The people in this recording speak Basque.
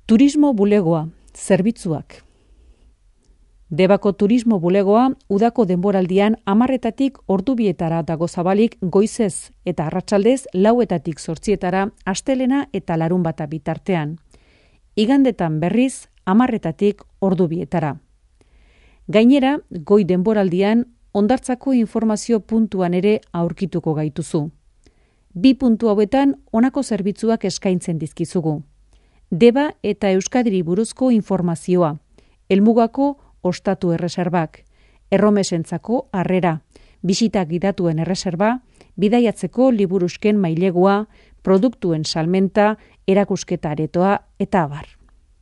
Turismo bulegoa, zerbitzuak. Debako turismo bulegoa udako denboraldian 10:00 ordu 2 dago zabalik goizez eta arratsaldez 4:00 8:00 astelena eta larunbata bitartean. Igandetan berriz 10:00 ordu 2. Gainera, goi denboraldian hondartzako informazio puntuan ere aurkituko gaituzu. 2 puntu hauetan honako zerbitzuak eskaintzen dizkizugu. Deba eta Euskadiri buruzko informazioa, helmugako ostatu erreserbak, erromesentzako harrera, bisita gidatuen erreserba, bidaiatzeko liburusken mailegua, produktuen salmenta, erakusketa aretoa eta abar.